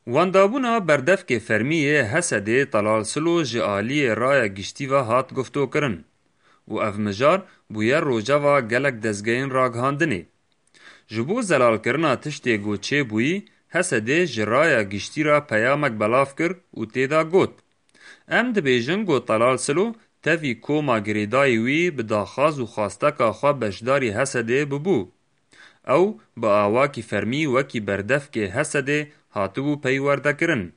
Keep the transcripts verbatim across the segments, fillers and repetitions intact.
Wendabûna berdevkê fermî yê Hesedê Telal Silo ji aliyê raya giştî ve hat guftokirin û ev mijar bûye rojeva gelek dezgehên ragihandinê. Ji bo zelalkirina tiştê ku çêbûyî, Hesedê ji raya giştî re peyamek belav kir û tê de got, Em dibêjin ku Telal Silo tevî koma girêdayî wî bi daxwaz û xwasteka xwe beşdarî Hesedê bibû. Ew bi awakî fermî wekî berdevkê Hesedê hatibû peywerdekirin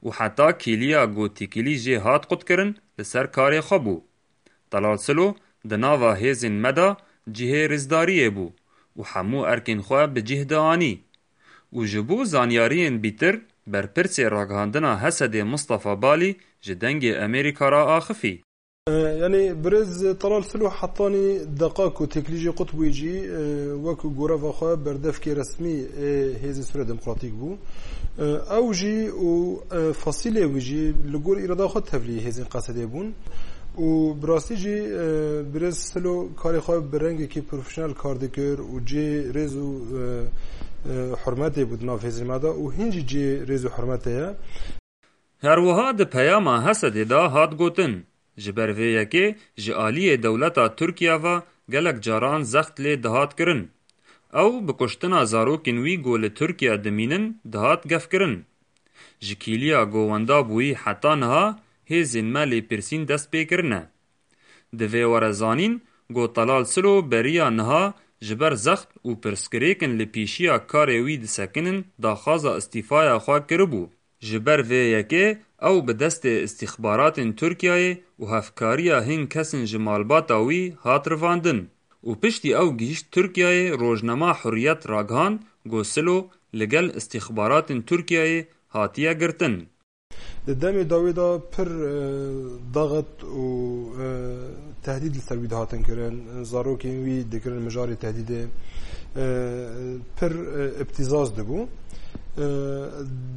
û heta kîliya ku têkilî jê hat qutkirin li ser karê xwe bû. Telal Silo di nava hêzên me de cihê rêzdariyê bû û hemû erkên xwe bi cih dianî. Û ji bo zanyariyên bîtir, berpirsê ragihandina Hesedê Mistefa Balî ji Dengê Amerîka re axifî. E, yanî birêz Telal Silo hetanî deqa ku têkilî jê qut bûyî jî, e, wek goreva xwe berdevkê resmî ê Hêzên Sûriya Demokratîk bû. E, ew jî û, e, fasîlê wî jî li gor îrada xwe tevlî hêzên Qesedê bûn. Û bi rastî jî, e, birêz Silo karê xwe bi rengekî profesyonel kar dikir û cê rêz û, e, e, hurmetê bû di nav hêzên me de û hîn jî cê rêz û hurmetê ye. Her wiha di peyama Hesedê de hat gotin, ji ber vê yekê ji aliyê dewleta Tirkiye ve gelek caran zext lê dihat kirin. Ew bi kuştina zarokên wî ku li Tirkiye dimînin dihat gefkirin. Ji kîliya ku wenda bûyî heta niha hêzên me lêpirsîn dest pê kirine. Divê were zanîn ku Telal Silo beriya niha ji ber zext û pirsgirêkin li pêşiya karê wî disekinin daxwaza îstîfaya xwe kiribû. Ji ber vê yekê ew bi destê îstîxbaratên Tirkiyeyê û hevkariya hin kesên ji malbata wî hat rivandin û piştî ew gihîşt Tirkiyeyê rojnama Hurriyet ragihand ku Silo li gel îstîxbaratên Tirkiyeyê hatiye girtin. Di demê dawî de pir, e, daxet û, e, tehdîd li ser wî dihatin kirin. Zarokên wî dikirin mijarê tehdîdê. E, pir, e, îptîzaz dibû. E,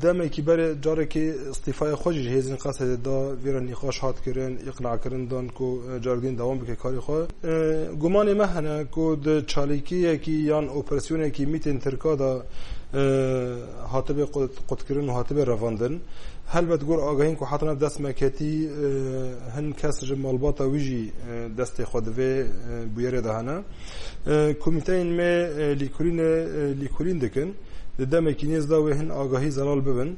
demekî berê carekê îstîfaya xwe jî ji hêzên Qesedê da, vê re nîqaş hat kirin, îqnakirin dan ku, e, carek din dewam bike karê xwe. E, gumanê me hene ku di çalakiyekî yan operasyonekî mîtên Tirka de, e, hatibe qut-, qutkirin û hatibe revandin. Helbet gor agahiyên ku hatine dest me ketî, e, hin kes ji malbata wî jî, e, destê xwe di vê, e, bûyerê de hene. E, komîteyên me, e, lîkolînê, e, lîkolîn dikin. Di demekî nêz de wê hin agahî zelal bibin.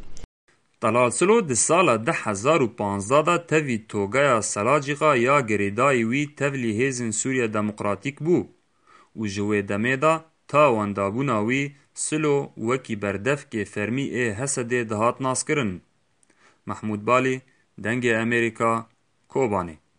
Telal Silo di sala du hezar û panzdeh de tevî Togaya Selacîqa ya girêdayî wî tevlî Hêzên Sûriya Demokratîk bû û ji wê demê de ta wendabûna wî Silo wekî berdevkê fermî ê Hesedê dihat naskirin. Mehmûd Balî, Dengê Amerîka, Kobanê.